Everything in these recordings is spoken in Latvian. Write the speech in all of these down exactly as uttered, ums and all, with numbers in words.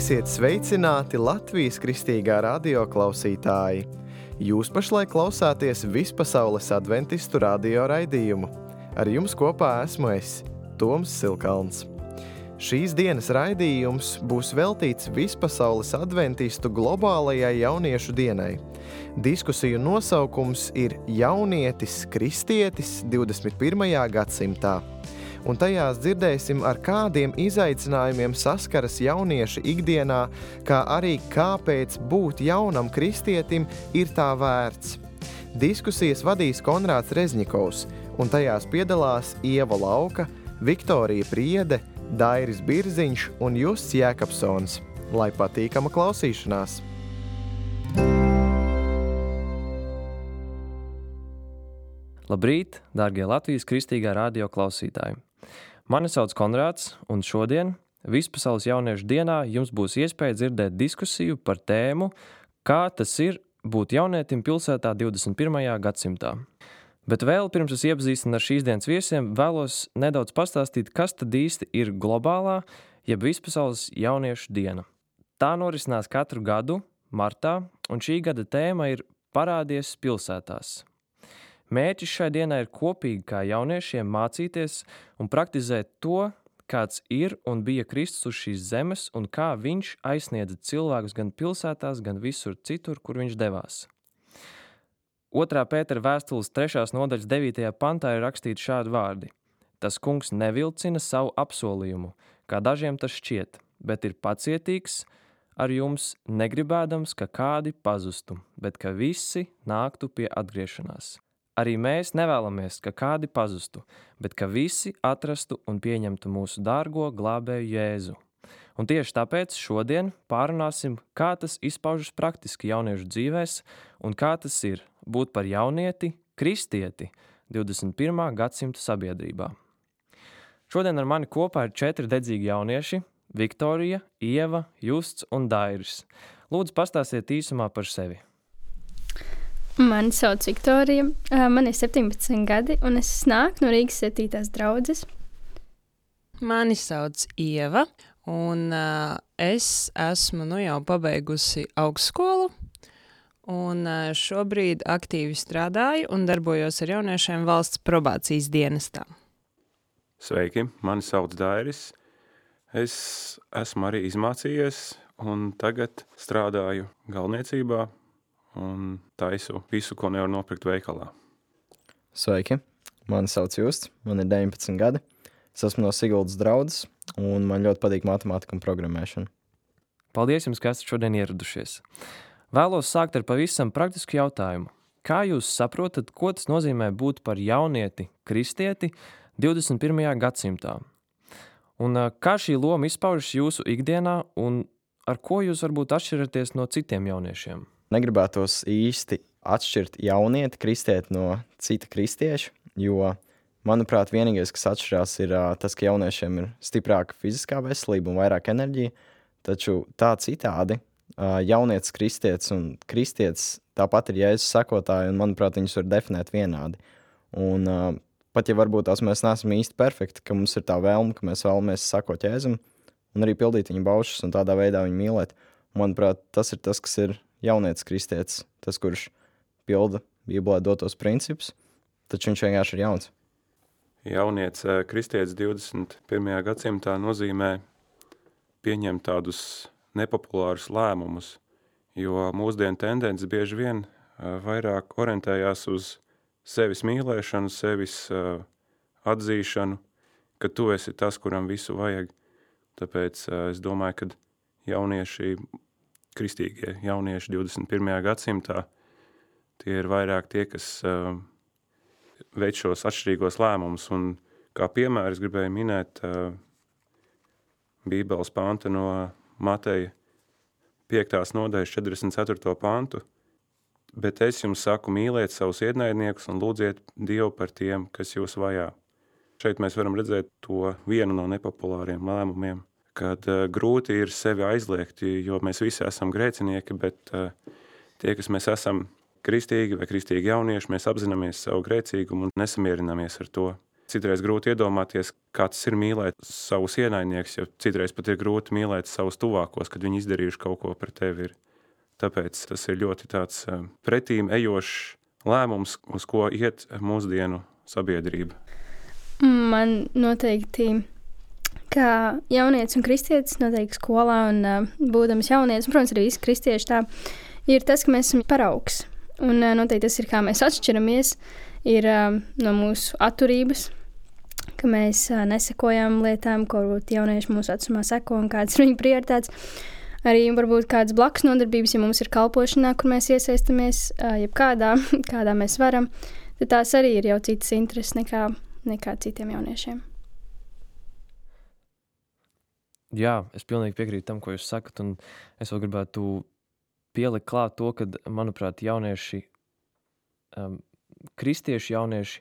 Esiet sveicināti Latvijas kristīgā radio klausītāji! Jūs pašlaik klausāties Vispasaules adventistu radio raidījumu. Ar jums kopā esmu es, Toms Silkalns. Šīs dienas raidījums būs veltīts Vispasaules adventistu globālajai jauniešu dienai. Diskusiju nosaukums ir Jaunietis, kristietis divdesmit pirmajā gadsimtā. Un tajās dzirdēsim, ar kādiem izaicinājumiem saskaras jaunieši ikdienā, kā arī kāpēc būt jaunam kristietim ir tā vērts. Diskusijas vadīs Konrāds Rezņikovs, un tajās piedalās Ieva Lauka, Viktorija Priede, Dairis Birziņš un Justs Jēkabsons. Lai patīkama klausīšanās! Labrīt, dārgie Latvijas kristīgā radio klausītāji! Mani sauc Konrāds, un šodien, Vispasaules jauniešu dienā, jums būs iespēja dzirdēt diskusiju par tēmu, kā tas ir būt jaunietim pilsētā divdesmit pirmajā gadsimtā. Bet vēl pirms es iepazīstinu ar šīs dienas viesiem, vēlos nedaudz pastāstīt, kas tad īsti ir globālā, jeb Vispasaules jauniešu diena. Tā norisinās katru gadu, martā, un šī gada tēma ir parādies pilsētās. Mērķis šai dienai ir kopīgi kā jauniešiem mācīties un praktizēt to, kāds ir un bija Kristus uz šīs zemes un kā viņš aizsniedza cilvēkus gan pilsētās, gan visur citur, kur viņš devās. Otrā Pētera vēstules trešās nodaļas devītajā pantā ir rakstīti šādi vārdi. Tas kungs nevilcina savu apsolījumu, kā dažiem tas šķiet, bet ir pacietīgs ar jums, negribēdams, ka kādi pazustu, bet ka visi nāktu pie atgriešanās. Arī mēs nevēlamies, ka kādi pazustu, bet ka visi atrastu un pieņemtu mūsu dārgo glābēju Jēzu. Un tieši tāpēc šodien pārunāsim, kā tas izpaužas praktiski jauniešu dzīvēs un kā tas ir būt par jaunieti, kristieti divdesmit pirmā gadsimta sabiedrībā. Šodien ar mani kopā ir četri dedzīgi jaunieši – Viktorija, Ieva, Justs un Dairis. Lūdzu, pastāstiet īsumā par sevi. Mani sauc Viktorija, man ir septiņpadsmit gadi, un es nāku no Rīgas septītās draudzes. Mani sauc Ieva, un uh, es esmu nu jau pabeigusi augstskolu, un uh, šobrīd aktīvi strādāju un darbojos ar jauniešiem valsts probācijas dienestā. Sveiki, mani sauc Dairis. Es esmu arī izmācījies, un tagad strādāju galvniecībā, un taisu visu, ko nevar nopirkt veikalā. Sveiki, mani sauc Justs, man ir deviņpadsmit gadi. Es esmu no Siguldas draudzes, un man ļoti patīk matemātika un programmēšana. Paldies jums, ka esat šodien ieradušies. Vēlos sākt ar pavisam praktisku jautājumu. Kā jūs saprotat, ko tas nozīmē būt par jaunieti, kristieti divdesmit pirmajā gadsimtā? Un kā šī loma izpaužas jūsu ikdienā, un ar ko jūs varbūt atšķiraties no citiem jauniešiem? Negribētos īsti atšķirt jaunieti, kristieti no cita kristieša, jo, manuprāt, vienīgais, kas atšķirās, ir uh, tas, ka jauniešiem ir stiprāka fiziskā veselība un vairāk enerģija, taču tā citādi uh, jaunietis, kristietis un kristietis tāpat ir Jēzus sekotāji, un, manuprāt, viņus var definēt vienādi. Un uh, pat ja varbūt tās mēs neesam īsti perfekti, ka mums ir tā vēlme, ka mēs vēlamies sekot Jēzum un arī pildīt viņa baušas un tādā veidā viņu mīlēt, manuprāt, tas ir tas, kas ir jaunietis kristietis, tas, kurš pilda Bībelē dotos principus, taču viņš vienkārši ir jauns. Jaunietis kristietis divdesmit pirmajā gadsimtā nozīmē pieņemt tādus nepopulārus lēmumus, jo mūsdienu tendences bieži vien vairāk orientējās uz sevis mīlēšanu, sevis atzīšanu, ka tu esi tas, kuram visu vajag. Tāpēc es domāju, ka jaunieši kristīgie jaunieši divdesmit pirmajā gadsimtā, tie ir vairāk tie, kas uh, veic šos atšķirīgos lēmumus. Un kā piemēru es gribēju minēt uh, Bībeles pantu no Mateja piektās nodaļas četrdesmit ceturto pantu. Bet es jums saku, mīliet savus ienaidniekus un lūdziet Dievu par tiem, kas jūs vajā. Šeit mēs varam redzēt to vienu no nepopulāriem lēmumiem, kad uh, grūti ir sevi aizliegt, jo mēs visi esam grēcinieki, bet uh, tie, kas mēs esam kristīgi vai kristīgi jaunieši, mēs apzināmies savu grēcīgumu un nesamierināmies ar to. Citreiz grūti iedomāties, kā tas ir mīlēt savus ienaidniekus, jo citreiz pat ir grūti mīlēt savus tuvākos, kad viņi izdarījuši kaut ko par tevi. Tāpēc tas ir ļoti tāds pretīm ejošs lēmums, uz ko iet mūsdienu sabiedrība. Man noteikti, kā jaunietis un kristietis, noteikti skolā un uh, būdams jaunietis, un, protams, arī visi kristieši tā, ir tas, ka mēs esam paraugs. Un uh, noteikti tas ir, kā mēs atšķiramies, ir uh, no mūsu atturības, ka mēs uh, nesekojam lietām, ko varbūt jaunieši mūsu vecumā seko un kādas ir viņu prioritātes. Arī varbūt kādas blakus nodarbības, ja mums ir kalpošanā, kur mēs iesaistamies, uh, jebkādā, kādā mēs varam, tad tās arī ir jau citas intereses nekā, nekā citiem jauniešiem. Jā, es pilnīgi piekrītu tam, ko jūs sakat, un es vēl gribētu pielikt klāt to, ka, manuprāt, jaunieši, um, kristieši jaunieši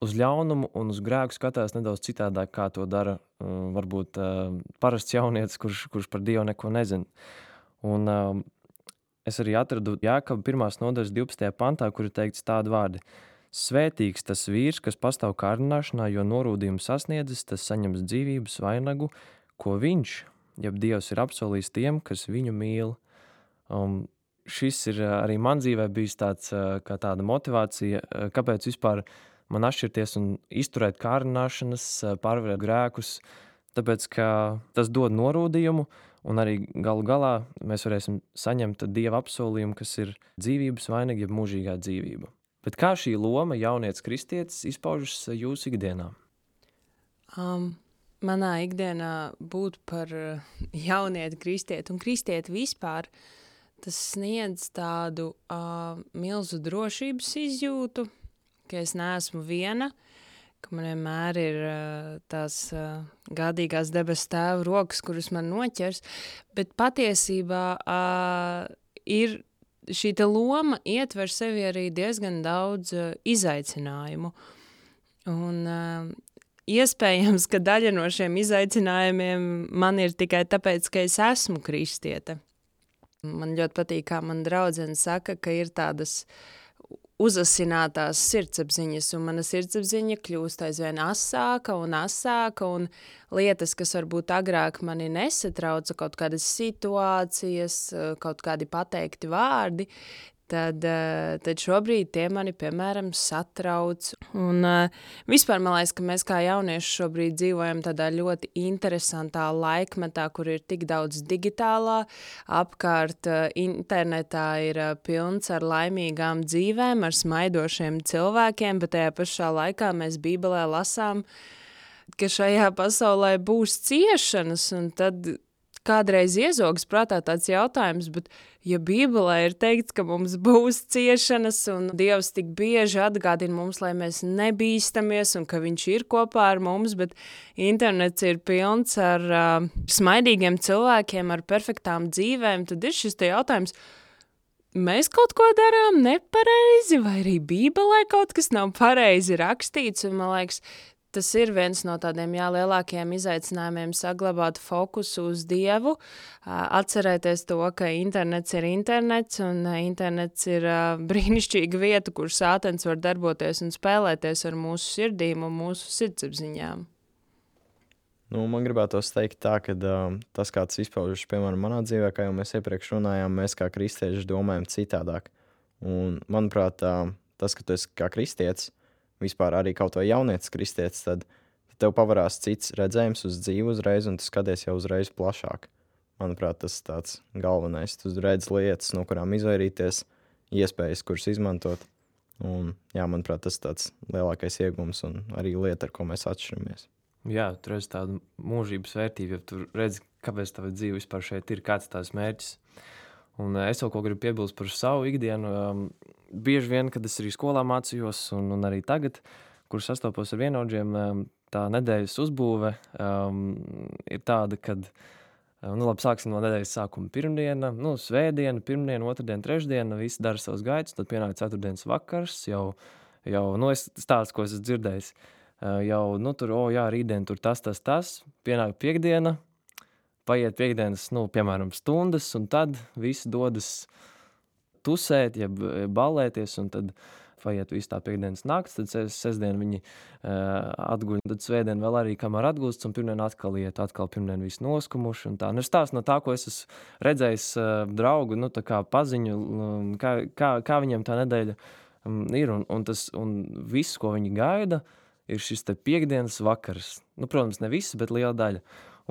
uz ļaunumu un uz grēku skatās nedaudz citādāk, kā to dara um, varbūt um, parasts jaunietis, kurš, kurš par Dievu neko nezina. Un um, es arī atradu Jākaba pirmās nodaļas divpadsmitajā pantā, kur ir teikts tādi vārdi. Svētīgs tas vīrs, kas pastāv kārdināšanā, jo norūdījumu sasniedzis, tas saņems dzīvības vainagu, ko viņš, jeb Dievs ir apsolījis tiem, kas viņu mīl. Um, šis ir arī man dzīvē bijis tāds, kā tāda motivācija, kāpēc vispār man atšķirties un izturēt kārdināšanas, pārvarēt grēkus, tāpēc, ka tas dod norūdījumu, un arī galu galā mēs varēsim saņemt Dieva apsolījumu, kas ir dzīvības vainaga, jeb mūžīgā dzīvība. Bet kā šī loma jaunietis kristietis izpaužas jūsu ikdienā? Um, manā ikdienā būt par jaunieti kristieti un kristieti vispār, tas sniedz tādu uh, milzu drošības izjūtu, ka es neesmu viena, ka man vienmēr ir uh, tās uh, gādīgās debes tēva rokas, kuras man noķers, bet patiesībā uh, ir šī te loma ietver sevi arī diezgan daudz uh, izaicinājumu. Un uh, iespējams, ka daļa no šiem izaicinājumiem man ir tikai tāpēc, ka es esmu kristiete. Man ļoti patīk, kā man draudzene saka, ka ir tādas uzasinātās sirdsapziņas, un mana sirdsapziņa kļūst aizvien asāka un asāka, un lietas, kas varbūt agrāk mani nesatrauca, kaut kādas situācijas, kaut kādi pateikti vārdi, tad, tad šobrīd tie mani, piemēram, satrauc. Un vispār man liekas, ka mēs kā jaunieši šobrīd dzīvojam tādā ļoti interesantā laikmetā, kur ir tik daudz digitālā, apkārt internetā ir pilns ar laimīgām dzīvēm, ar smaidošiem cilvēkiem, bet tajā pašā laikā mēs Bībelē lasām, ka šajā pasaulē būs ciešanas, un tad kādreiz iezogas prātā tāds jautājums, bet ja Bībelē ir teikts, ka mums būs ciešanas un Dievs tik bieži atgādina mums, lai mēs nebīstamies un ka viņš ir kopā ar mums, bet internets ir pilns ar uh, smaidīgiem cilvēkiem, ar perfektām dzīvēm, tad ir šis te jautājums, mēs kaut ko darām nepareizi vai arī Bībelē kaut kas nav pareizi rakstīts, un man liekas, tas ir viens no tādiem jā, lielākajiem izaicinājumiem saglabāt fokusu uz Dievu, atcerēties to, ka internets ir internets un internets ir brīnišķīga vieta, kur sātens var darboties un spēlēties ar mūsu sirdīm un mūsu sirdsapziņām. Nu, man gribētos teikt tā, ka uh, tas, kā tas izpaužas, piemēram, manā dzīvē, kā jau mēs iepriekš runājām, mēs kā kristieši domājam citādāk. Un, manuprāt, uh, tas, ka tu esi kā kristietis, vispār arī kaut vai jaunietis kristietis, tad tev pavarās cits redzējums uz dzīvi uzreiz, un tu skaties jau uzreiz plašāk. Manuprāt, tas ir tāds galvenais. Tu redz lietas, no kurām izvairīties, iespējas, kuras izmantot. Un, jā, manuprāt, tas ir tāds lielākais iegums un arī lieta, ar ko mēs atšķiramies. Jā, tu redzi tādu mūžības vērtību, ja tu redzi, kāpēc tava dzīve vispār šeit ir, kāds tās mērķis. Un es vēl ko gribu piebilst par savu ikdienu. Um, bieži vien, kad es arī skolā mācījos, un, un arī tagad, kur sastopos ar vienaudžiem, um, tā nedēļas uzbūve um, ir tāda, kad, um, nu labi, sāksim no nedēļas sākuma pirmdiena, nu, svētdiena, pirmdiena, otrdiena, trešdiena, visi dara savus gaitus, tad pienāk ceturtdienas vakars, jau, jau nu, es stāstu, ko es esmu dzirdējis, uh, jau, nu, tur, o, jā, rītdien tur tas, tas, tas, pienāk piekdiena, paiet piekdienas, nu, piemēram, stundas, un tad visi dodas tusēt, ja ballēties, un tad paiet visu tā piekdienas nakts, tad ses, sestdien viņi uh, atguļ, tad svētdien vēl arī, kamēr atgūsts, un pirmdien atkal iet, atkal pirmdien visu noskumuši, un tā. Nu, stāsts no tā, ko es esmu redzējis uh, draugu, nu, tā kā paziņu, um, kā, kā, kā viņiem tā nedēļa um, ir, un, un tas, un viss, ko viņi gaida, ir šis te piekdienas vakars. Nu, protams, ne viss, bet liela daļa.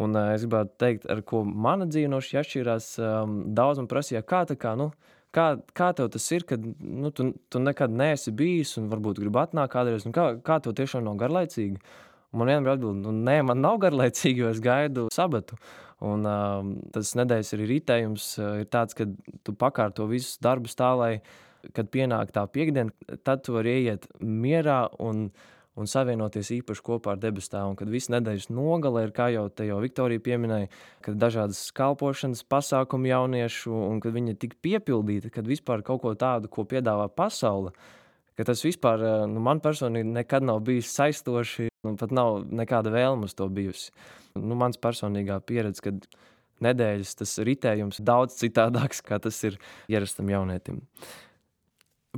Un uh, es gribētu teikt, ar ko mana dzīve no šī atšķirās, um, daudz man prasīja, kā tā kā, nu, kā, kā tev tas ir, kad nu, tu, tu nekad neesi bijis un varbūt gribi atnākt kādreiz, un kā, kā tev tiešām nav garlaicīgi? Un man vienmēr atbild, nu, nē, man nav garlaicīgi, jo es gaidu sabatu. Un um, tas nedēļas arī ritējums uh, ir tāds, ka tu pakārto visus darbus tā, lai, kad pienāk tā piekdiena, tad tu vari ieiet mierā un un savienoties īpaši kopā ar debestāvu. Un kad visu nedēļas nogale ir, kā jau te jau Viktorija pieminēja, kad dažādas kalpošanas pasākumi jauniešu, un kad viņi ir tik piepildīti, kad vispār kaut ko tādu, ko piedāvā pasaule, ka tas vispār, nu, man personīgi nekad nav bijis saistoši, un pat nav nekāda vēlme uz to bijusi. Nu, mans personīgā pieredze, kad nedēļas tas ritējums daudz citādāks, kā tas ir ierastam jaunietim.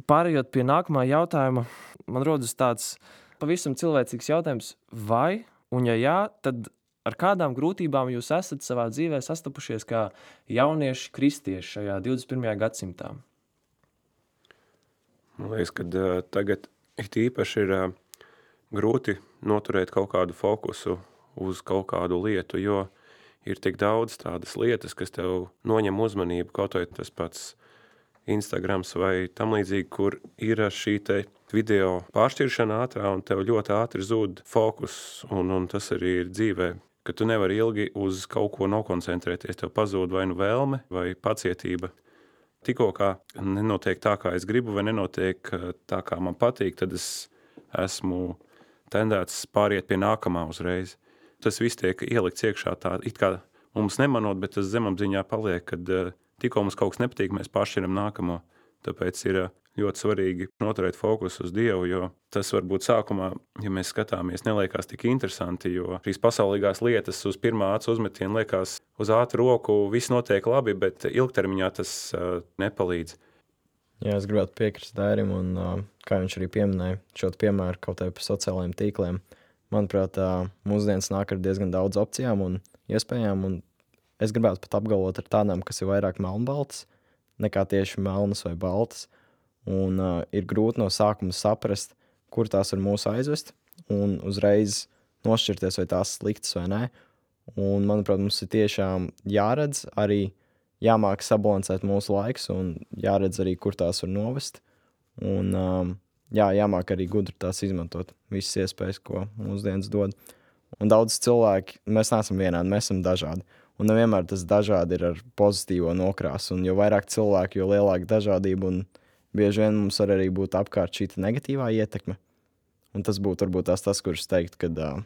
Pārējot pie nākamā jautājuma, man rodas tāds pavisam cilvēcīgs jautājums, vai, un ja jā, tad ar kādām grūtībām jūs esat savā dzīvē sastapušies kā jaunieši kristieši šajā divdesmit pirmajā gadsimtā? Man liekas, ka uh, tagad it īpaši ir uh, grūti noturēt kaut kādu fokusu uz kaut kādu lietu, jo ir tik daudz tādas lietas, kas tev noņem uzmanību, kaut vai tas pats Instagrams vai tam līdzīgi, kur ir šī te video pāršķiršana ātrā un tev ļoti ātri zūd fokus, un, un tas arī ir dzīvē, ka tu nevari ilgi uz kaut ko nokoncentrēties, tev pazūd vai nu vēlme vai pacietība. Tikko kā nenotiek tā, kā es gribu, vai nenotiek tā, kā man patīk, tad es esmu tendēts pāriet pie nākamā uzreiz. Tas viss tiek ielikts iekšā tā, it kā mums nemanot, bet tas zemapziņā paliek, kad tikko mums kaut kas nepatīk, mēs pāršķiram nākamo. Tāpēc ir ļoti svarīgi noturēt fokusu uz Dievu, jo tas varbūt sākumā, ja mēs skatāmies, neliekās tik interesanti, jo šīs pasaulīgās lietas uz pirmā acu uzmetiena liekas uz ātru roku, viss notiek labi, bet ilgtermiņā tas uh, nepalīdz. Jā, es gribētu piekrist Dairim, un uh, kā viņš arī pieminēja, šo piemēru kaut vai par sociālajiem tīkliem. Manuprāt, uh, mūsdienas nāk ar diezgan daudz opcijām un iespējām, un es gribētu pat apgalvot ar tādām, kas ir vairāk melnbaltas, nekā tieši melnas vai baltas. Un uh, ir grūti no sākuma saprast, kur tās var mūs aizvest, un uzreiz nošķirties, vai tās sliktas vai nē. Un, manuprāt, mums ir tiešām jāredz arī, jāmāk sabalansēt mūsu laiks, un jāredz arī, kur tās var novest. Un um, jā, jāmāk arī gudri tās izmantot, visas iespējas, ko mūsdienas dod. Un daudz cilvēki, mēs neesam vienādi, mēs esam dažādi. Un nevienmēr tas dažādi ir ar pozitīvo nokrāsu, un jo vairāk cilvēku, jo lielāka dažādība, un bieži vien mums var arī būt apkārt šī negatīvā ietekme. Un tas būtu varbūt tās tas, kurš teikt, ka uh,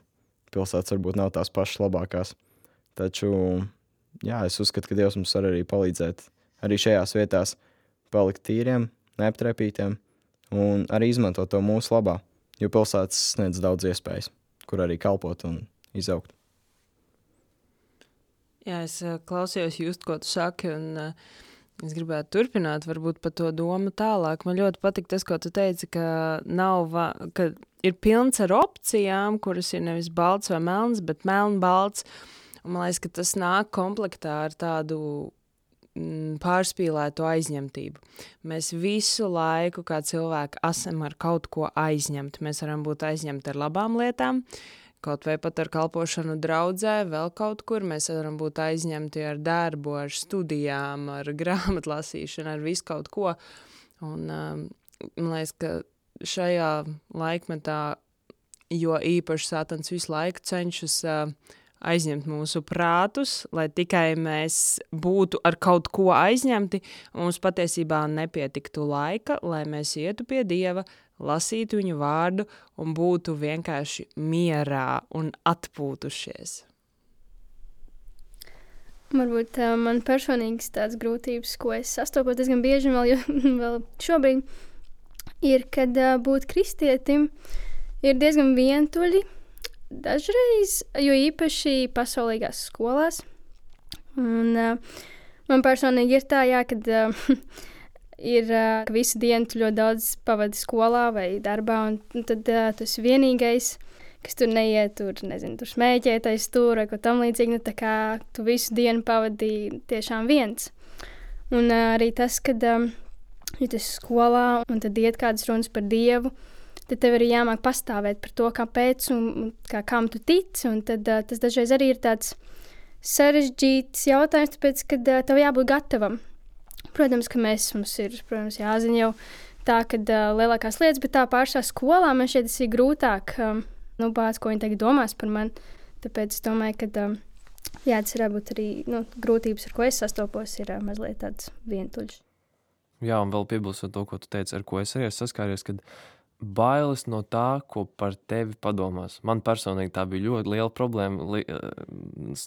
pilsētas varbūt nav tās pašas labākās. Taču, jā, es uzskatu, ka Dievs mums var arī palīdzēt arī šajās vietās palikt tīriem, neaptrepītiem un arī izmantot to mūsu labā, jo pilsētas sniedz daudz iespējas, kur arī kalpot un izaugt. Jā, es uh, klausījos just, ko tu saki, un uh, es gribētu turpināt varbūt par to domu tālāk. Man ļoti patīk tas, ko tu teici, ka, nav va- ka ir pilns ar opcijām, kuras ir nevis balts vai melns, bet melnbalts. Un man liekas, ka tas nāk komplektā ar tādu mm, pārspīlētu aizņemtību. Mēs visu laiku kā cilvēki esam ar kaut ko aizņemti. Mēs varam būt aizņemti ar labām lietām, kaut vai pat ar kalpošanu draudzē, vēl kaut kur. Mēs varam būt aizņemti ar darbu, ar studijām, ar grāmatlasīšanu, ar visu kaut ko. Un um, man liekas, ka šajā laikmetā, jo īpaši Sātans visu laiku cenšas uh, aizņemt mūsu prātus, lai tikai mēs būtu ar kaut ko aizņemti, mums patiesībā nepietiktu laika, lai mēs ietu pie Dieva, lasītu viņu vārdu un būtu vienkārši mierā un atpūtušies. Varbūt uh, man personīgas tādas grūtības, ko es sastopos diezgan bieži vēl, jo, vēl šobrīd, ir, kad uh, būt kristietim ir diezgan vientuļi dažreiz, jo īpaši pasaulīgās skolās. Un uh, man personīgi ir tā, jā, kad uh, ir, ka visu dienu tu ļoti daudz pavadi skolā vai darbā, un tad uh, tu esi vienīgais, kas tur neiet, tur, nezinu, tur smēķētais tur vai ko tam līdzīgi, nu tā kā tu visu dienu pavadīji tiešām viens. Un uh, arī tas, kad um, ja tu esi skolā un tad iet kādas runas par Dievu, tad tev arī jāmāk pastāvēt par to, kāpēc un, un kā, kam tu tici, un tad uh, tas dažreiz arī ir tāds sarežģīts jautājums, tāpēc, kad uh, tev jābūt gatavam. Protams, ka mēs, mums ir, protams, jāzina jau tā, kad uh, lielākās lietas, bet tā pāršā skolā man šeit tas ir grūtāk, um, nu, bāc, ko viņi tagad domās par mani. Tāpēc es domāju, ka, um, jā, tas ir būt arī, nu, grūtības, ar ko es sastopos, ir uh, mazliet tāds vientuļš. Jā, un vēl piebilstot to, ko tu teici, ar ko es arī saskāries, kad bailes no tā, ko par tevi padomās. Man personīgi tā bija ļoti liela problēma, li,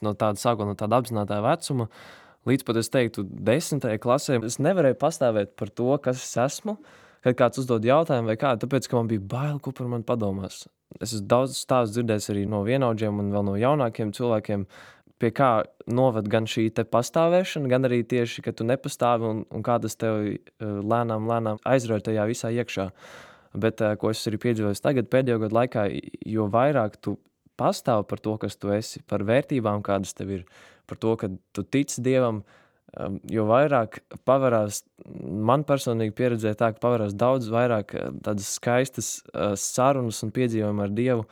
no tāda, sākot no tāda apzinātā vecuma, līdz pat es teiktu desmitajai klasē, es nevarēju pastāvēt par to, kas es esmu, kad kāds uzdod jautājumu vai kādu, tāpēc, ka man bija bail, ko par mani padomās. Es esmu daudz stāstu dzirdējis arī no vienaudžiem un vēl no jaunākiem cilvēkiem, pie kā noved gan šī te pastāvēšana, gan arī tieši, ka tu nepastāvi un, un kā tas tev lēnām, lēnām aizrauj tajā visā iekšā. Bet, ko es arī piedzīvoju tagad pēdējo gadu laikā, jo vairāk tu pastāvi par to, kas tu esi, par vērtībām, kādas tev ir, par to, ka tu tici Dievam, jo vairāk pavarās, man personīgi pieredzēja tā, ka pavarās daudz vairāk tādas skaistas sarunas un piedzīvojumi ar Dievu,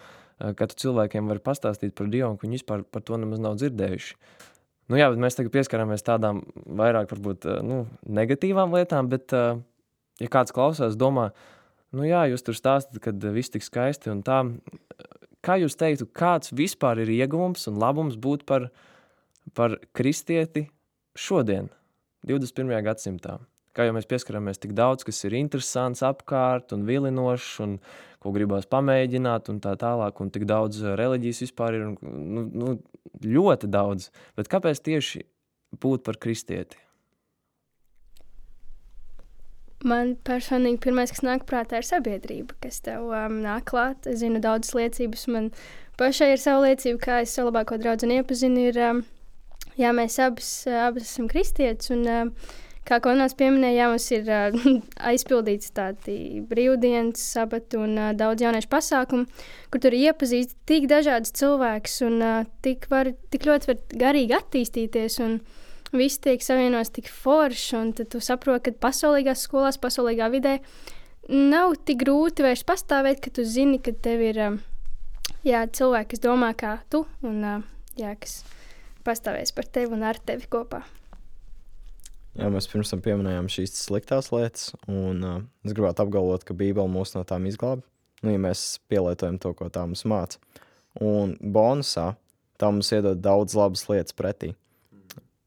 ka tu cilvēkiem vari pastāstīt par Dievu, un viņi vispār par to nemaz nav dzirdējuši. Nu jā, bet mēs tagad pieskaramies tādām vairāk varbūt nu, negatīvām lietām, bet ja kāds klausās, domā, nu jā, jūs tur stāstat, kad viss tik skaisti un tā, kā jūs teiktu, kāds vispār ir ieguvums un labums būt par par kristieti šodien, divdesmit pirmajā gadsimtā. Kā jau mēs pieskaramies tik daudz, kas ir interesants apkārt un vilinošs un ko gribās pamēģināt un tā tālāk, un tik daudz reliģijas vispār ir, un, nu, nu, ļoti daudz. Bet kāpēc tieši būt par kristieti? Man personīgi pirmais, kas nāk prātā, ir sabiedrība, kas tev um, nāk klāt. Es zinu daudzas liecības, man pašai ir sava liecība, kā es savu labāko draudzeni iepazinu, ir... Um, Jā, mēs abas, abas esam kristietis, un kā Konrāds pieminēja, jā, mums ir aizpildīts tādi brīvdienas, sabati un daudz jauniešu pasākumu, kur tur iepazīst tik dažādas cilvēkus un tik, var, tik ļoti var garīgi attīstīties, un viss tiek savienots tik forši, un tad tu saproti, ka pasaulīgās skolās, pasaulīgā vidē nav tik grūti vairs pastāvēt, ka tu zini, ka tev ir jā, cilvēki, kas domā kā tu, un jā, kas... pastāvēs par tevi un ar tevi kopā. Jā, mēs pirms tam pieminējām šīs sliktās lietas, un uh, es gribētu apgalvot, ka Bībele mūs no tām izglāb, nu, ja mēs pielietojam to, ko tā mums māca. Un bonusā tā mums iedod daudz labas lietas pretī.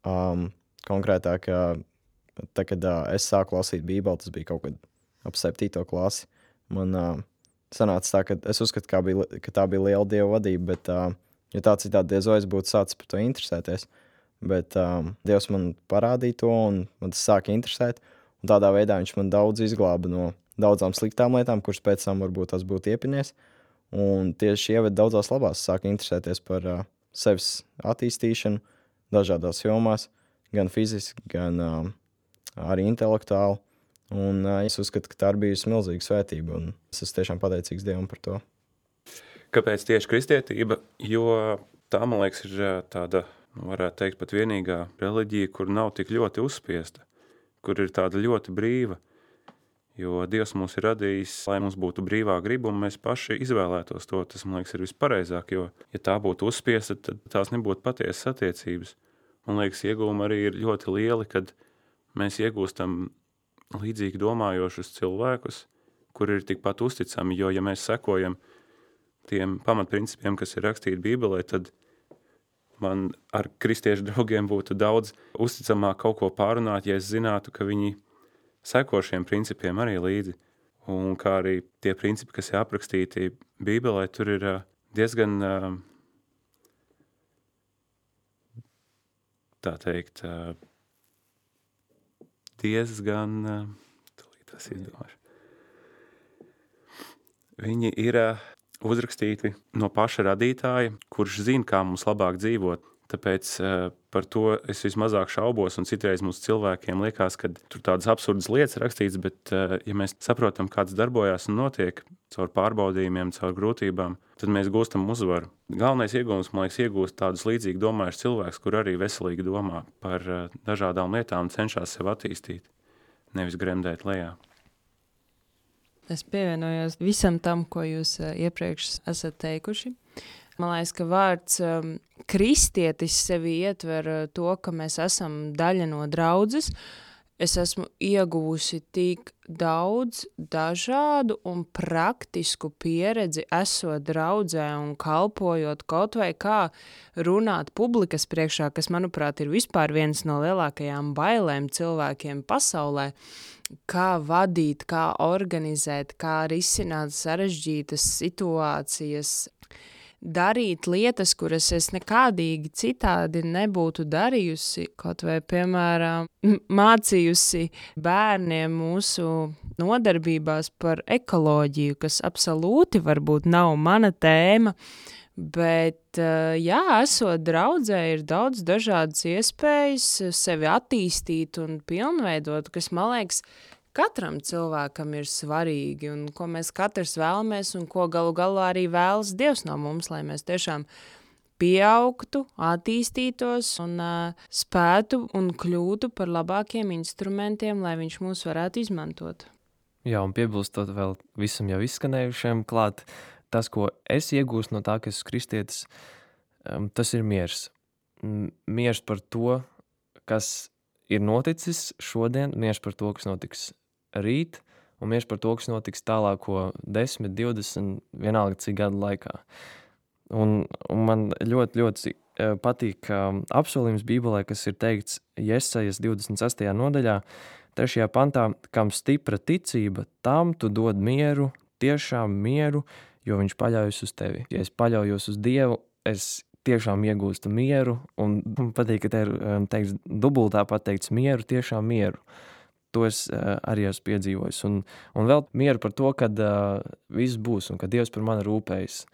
Um, konkrētāk, tā, kad uh, es sāku lasīt Bībeli, tas bija kaut kad ap septīto klasi, man uh, sanāca tā, ka es uzskatu, ka, bija, ka tā bija liela Dieva vadība, bet uh, jo tā citādi diez vai es būtu sācis par to interesēties. Bet um, Dievs man parādīja to, un man tas sāka interesēt. Un tādā veidā viņš man daudz izglāba no daudzām sliktām lietām, kuras pēc tam varbūt tas būtu iepinies. Un tieši ieved daudzās labās, sāka interesēties par uh, sevis attīstīšanu dažādās jomās, gan fiziski, gan um, arī intelektuāli. Un uh, es uzskatu, ka tā ir bijusi milzīga svētība, un es esmu tiešām pateicīgs Dievam par to. Kāpēc tieši kristietība? Jo tā, man liekas, ir tāda, varētu teikt, pat vienīgā reliģija, kur nav tik ļoti uzspiesta, kur ir tāda ļoti brīva. Jo Dievs mūs ir radījis, lai mums būtu brīvā griba, un mēs paši izvēlētos to. Tas, man liekas, ir vispareizāk, jo, ja tā būtu uzspiesta, tad tās nebūtu patiesas attiecības. Man liekas, iegūmi arī ir ļoti lieli, kad mēs iegūstam līdzīgi domājošus cilvēkus, kuri ir tikpat uzticami, jo, ja mēs sekojam tiem pamatprincipiem, kas ir rakstīti Bībelē, tad man ar kristiešu draugiem būtu daudz uzticamāk kaut ko pārunāt, ja es zinātu, ka viņi seko šiem principiem arī līdzi. Un kā arī tie principi, kas ir aprakstīti Bībelē, tur ir diezgan, tā teikt, diezgan, tūlīt tas izdomāšu. Viņi ir uzrakstīti no paša radītāja, kurš zina, kā mums labāk dzīvot. Tāpēc uh, par to es vismazāk šaubos, un citreiz mums cilvēkiem liekas, ka tur tādas absurdas lietas rakstīts, bet uh, ja mēs saprotam, kāds darbojās un notiek caur pārbaudījumiem, caur grūtībām, tad mēs gūstam uzvaru. Galvenais iegūms, man liekas, iegūst tādus līdzīgi domājušus cilvēkus, kur arī veselīgi domā par uh, dažādām lietām un cenšas sev attīstīt, nevis gremdēt lejā. Es pievienojos visam tam, ko jūs uh, iepriekš esat teikuši. Man liekas, ka vārds um, kristietis sevi ietver uh, to, ka mēs esam daļa no draudzes. Es esmu ieguvusi tik daudz dažādu un praktisku pieredzi esot draudzē un kalpojot kaut vai kā runāt publikas priekšā, kas, manuprāt, ir vispār viens no lielākajām bailēm cilvēkiem pasaulē. Kā vadīt, kā organizēt, kā risināt sarežģītas situācijas, darīt lietas, kuras es nekādīgi citādi nebūtu darījusi, kaut vai, piemēram, mācījusi bērniem mūsu nodarbībās par ekoloģiju, kas absolūti varbūt nav mana tēma, bet, jā, esot draudzē, ir daudz dažādas iespējas sevi attīstīt un pilnveidot, kas, man liekas, katram cilvēkam ir svarīgi un ko mēs katrs vēlamies un ko galu galā arī vēlas Dievs no mums, lai mēs tiešām pieaugtu, attīstītos un uh, spētu un kļūtu par labākiem instrumentiem, lai viņš mūs varētu izmantot. Jā, un piebilstot vēl visam jau izskanējušiem klāt, tas, ko es iegūstu no tā, ka esmu kristietis, um, tas ir miers. Miers par to, kas ir noticis šodien, miers par to, kas notiks rīt, un miers par to, kas notiks tālāko desmit, divdesmit, vienalga cik gadu laikā. Un, un man ļoti, ļoti patīk um, apsolījums Bībelē, kas ir teikts Jesajas divdesmit sestajā nodaļā, trešajā pantā, kam stipra ticība, tam tu dod mieru, tiešām mieru, jo viņš paļaujas uz tevi. Ja es paļaujos uz Dievu, es tiešām iegūstu mieru, un man patīk, ka te ir teikts, dubultā pateikts mieru, tiešām mieru. To es uh, arī esmu piedzīvojis. Un, un vēl mieru par to, kad uh, viss būs un ka Dievs par mani rūpējas.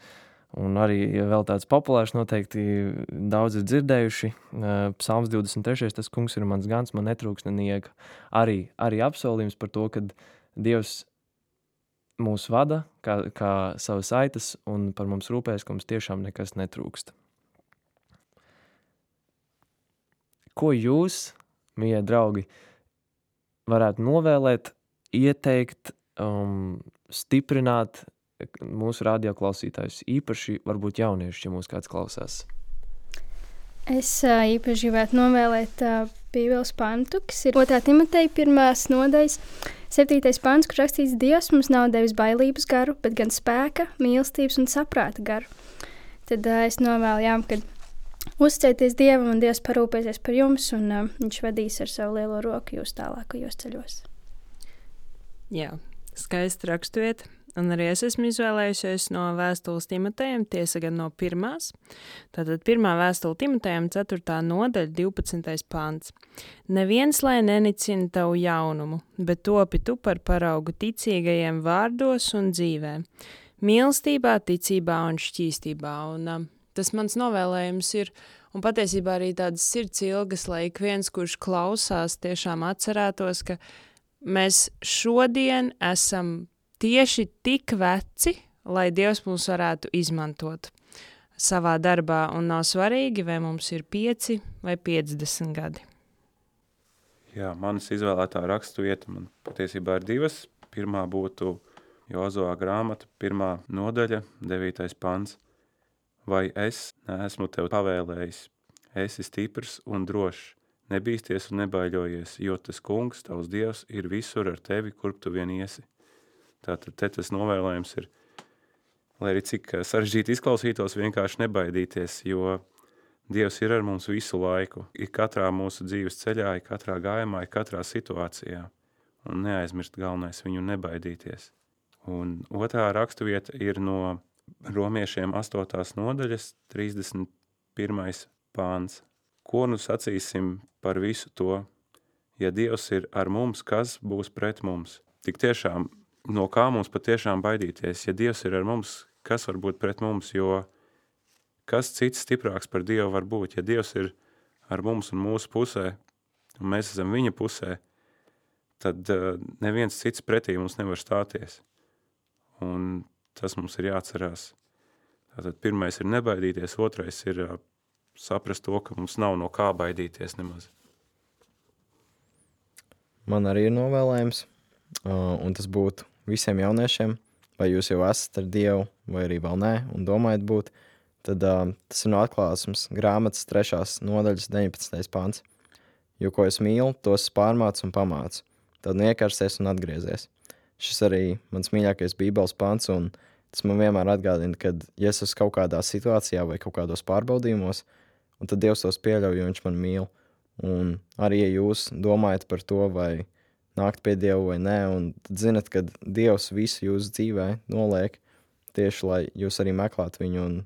Un arī vēl tāds populārs noteikti daudz ir dzirdējuši. Uh, Psalms divdesmit trešais tas kungs ir mans gans, man netrūks nenieka. Arī, arī apsolījums par to, kad Dievs mūs vada kā, kā savas aitas un par mums rūpējas, ka mums tiešām nekas netrūkst. Ko jūs, mīļie draugi, varētu novēlēt, ieteikt, um, stiprināt mūsu radioklausītājus, īpaši varbūt jaunieši, ja mūs kāds klausās? Es uh, īpaši gribētu novēlēt uh, Bībeles pantu, kas ir otrā Timoteja pirmās nodaļas, septītais pants, kur rakstīts: Dievs mums nav devis bailības garu, bet gan spēka, mīlestības un saprāta garu. Tad uh, es novēlu, jā, kad uzticieties Dievam un Dievs parūpēsies par jums un uh, viņš vadīs ar savu lielo roku jūs tālākajos ceļos. Jā, skaisti raksturiet. Un arī es esmu izvēlējusies no vēstules Timotejam, tiesa gan no pirmās. Tātad pirmā vēstule Timotejam, ceturtā nodaļa, divpadsmitais pants. Neviens, lai nenicina tavu jaunumu, bet topi tu par paraugu ticīgajiem vārdos un dzīvē. Mīlestībā, ticībā un šķīstībā. Un uh, tas mans novēlējums ir, un patiesībā arī tādas sirds ilgas, lai ik viens, kurš klausās, tiešām atcerētos, ka mēs šodien esam tieši tik veci, lai Dievs mūs varētu izmantot savā darbā, un nav svarīgi, vai mums ir pieci vai piecdesmit gadi. Jā, manas izvēlētā rakstvieta man patiesībā ir divas. Pirmā būtu Jozuā grāmata, pirmā nodaļa, devītais pants. Vai es neesmu tev pavēlējis, esi stiprs un drošs, nebīsties un nebaiļojies, jo tas kungs, tavs Dievs, ir visur ar tevi, kurp tu vien iesi. Tātad te tas novēlējums ir, lai arī cik sarežģīti izklausītos, vienkārši nebaidīties, jo Dievs ir ar mums visu laiku. Ir katrā mūsu dzīves ceļā, ir katrā gājumā, ir katrā situācijā. Un neaizmirst galvenais viņu nebaidīties. Un otrā raksturvieta ir no Romiešiem astotās nodaļas, trīsdesmit pirmais pāns. Ko nu sacīsim par visu to? Ja Dievs ir ar mums, kas būs pret mums? Tik tiešām, no kā mums patiešām baidīties? Ja Dievs ir ar mums, kas var būt pret mums? Jo kas cits stiprāks par Dievu var būt? Ja Dievs ir ar mums un mūsu pusē, un mēs esam viņa pusē, tad uh, neviens cits pretī mums nevar stāties. Un tas mums ir jāatcerās. Tātad pirmais ir nebaidīties, otrais ir uh, saprast to, ka mums nav no kā baidīties nemaz. Man arī ir novēlējums, uh, un tas būtu visiem jauniešiem, vai jūs jau esat ar Dievu, vai arī vēl nē, un domājat būt, tad uh, tas ir no Atklāsmes grāmatas trešās nodaļas deviņpadsmitais pants. Jo, ko es mīlu, tos pārmācu un pamācu. Tad niekarsies un atgriezies. Šis arī mans mīļākais bībeles pants, un tas man vienmēr atgādina, kad ja es esmu kaut kādā situācijā vai kaut kādos pārbaudījumos, un tad Dievs tos pieļauj, jo viņš man mīl. Un arī, ja jūs domājat par to, vai nākt pie Dieva vai nē, un tad zinat, ka Dievs visu jūsu dzīvē noliek tieši, lai jūs arī meklētu viņu un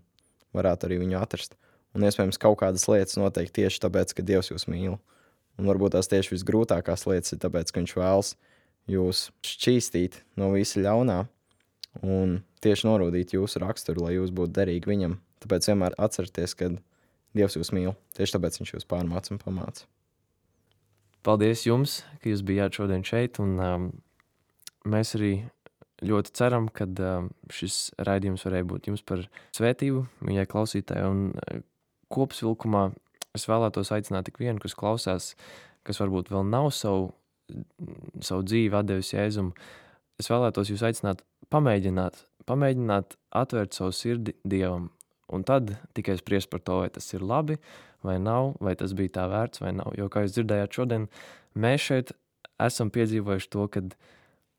varētu arī viņu atrast. Un iespējams kaut kādas lietas notiek tieši tāpēc, ka Dievs jūs mīl. Un varbūt tās tieši visgrūtākās lietas ir tāpēc, ka viņš vēlas jūs šķīstīt no visa ļaunā un tieši norūdīt jūsu raksturu, lai jūs būtu derīgi viņam. Tāpēc vienmēr atcerieties, ka Dievs jūs mīl. Tieši tāpēc viņš jūs pārmāca un pamāca. Paldies jums, ka jūs bijāt šodien šeit, un um, mēs arī ļoti ceram, ka um, šis raidījums varēja būt jums par svētību, viņai klausītāji, un uh, kopsvilkumā es vēlētos aicināt tik vienu, kas klausās, kas varbūt vēl nav savu, savu dzīvi atdevis Jēzum. Es vēlētos jūs aicināt pamēģināt, pamēģināt atvērt savu sirdi Dievam, un tad tikai spriest par to, vai tas ir labi, vai nav, vai tas bija tā vērts, vai nav. Jo, kā jūs dzirdējāt šodien, mēs šeit esam piedzīvojuši to, kad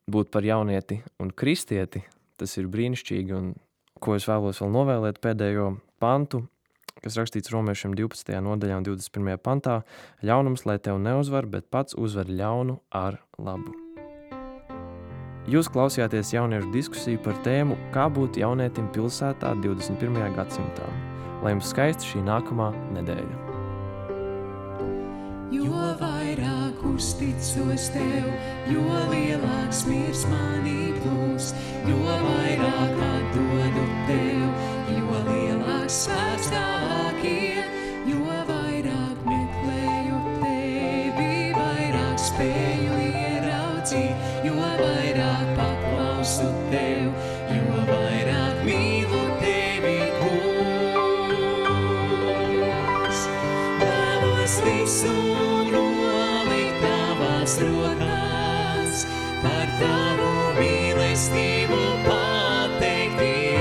būt par jaunieti un kristieti, tas ir brīnišķīgi, un ko es vēlos vēl novēlēt pēdējo pantu, kas rakstīts Romiešiem divpadsmitajā nodaļā un divdesmit pirmajā pantā, ļaunums, lai tev neuzvar, bet pats uzvar ļaunu ar labu. Jūs klausījāties jauniešu diskusiju par tēmu, kā būt jaunietim pilsētā divdesmit pirmajā gadsimtā. Lai jums skaista šī nākamā nedēļa. Jo vairāk uzticos tev, jo lielāks miers manī būs, jo vairāk atdodu tev, jo lielāks spēks tavāk ir, jo vairāk meklēju tevi, vairāk spēju ieraudzīt, jo vairāk paklausu tev, jo vairāk mīlu tevi, kungs. Vēlos visu nolikt tavās rokās, par tavu mīlestību pateikties,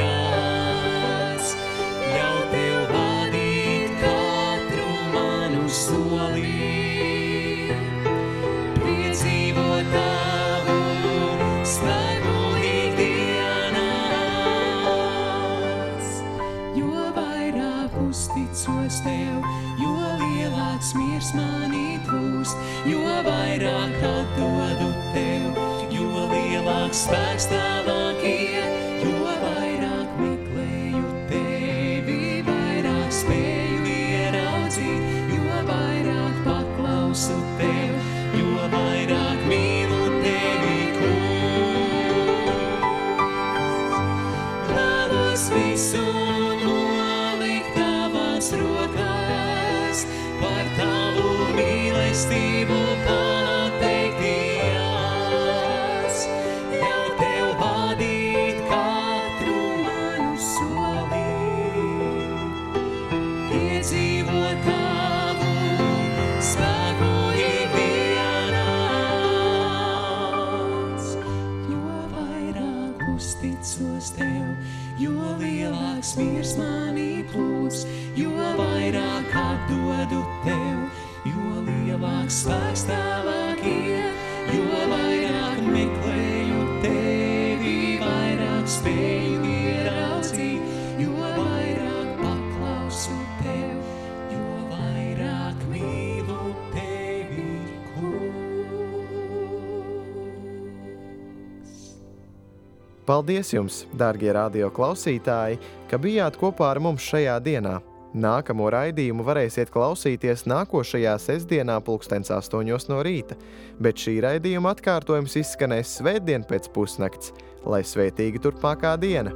ļaut tev vadīt katru manu soli, piedzīvot tavu spēku ikdienās. Jo vairāk uzticos tev, jo lielāks miers manī plūst, jo vairāk atdodu tev, jo lielāks spēks tavāk ir, jo vairāk meklēju tevi, vairāk spēju ieraudzīt, jo vairāk paklausu tev, jo vairāk mīlu tevi, kungs. Vēlos visu nolikt tavās rokās, par tavu mīlestību pateikties, ļaut tev vadīt katru manu soli, piedzīvot tavu spēku ikdienās. Jo vairāk uzticos tev, jo lielāks miers manī plūst, jo vairāk atdodu tev, jo lielāks spēks tavāk ir, jo vairāk meklēju tevi, vairāk spēju ieraudzīt, jo vairāk paklausu tev, jo vairāk mīlu tevi, kungs. Paldies jums, dārgie radio klausītāji, ka bijāt kopā ar mums šajā dienā. Nākamo raidījumu varēsiet klausīties nākošajā sestdienā pulkstens astoņos no rīta, bet šī raidījuma atkārtojums izskanēs svētdien pēc pusnakts, lai svētīga turpmākā diena!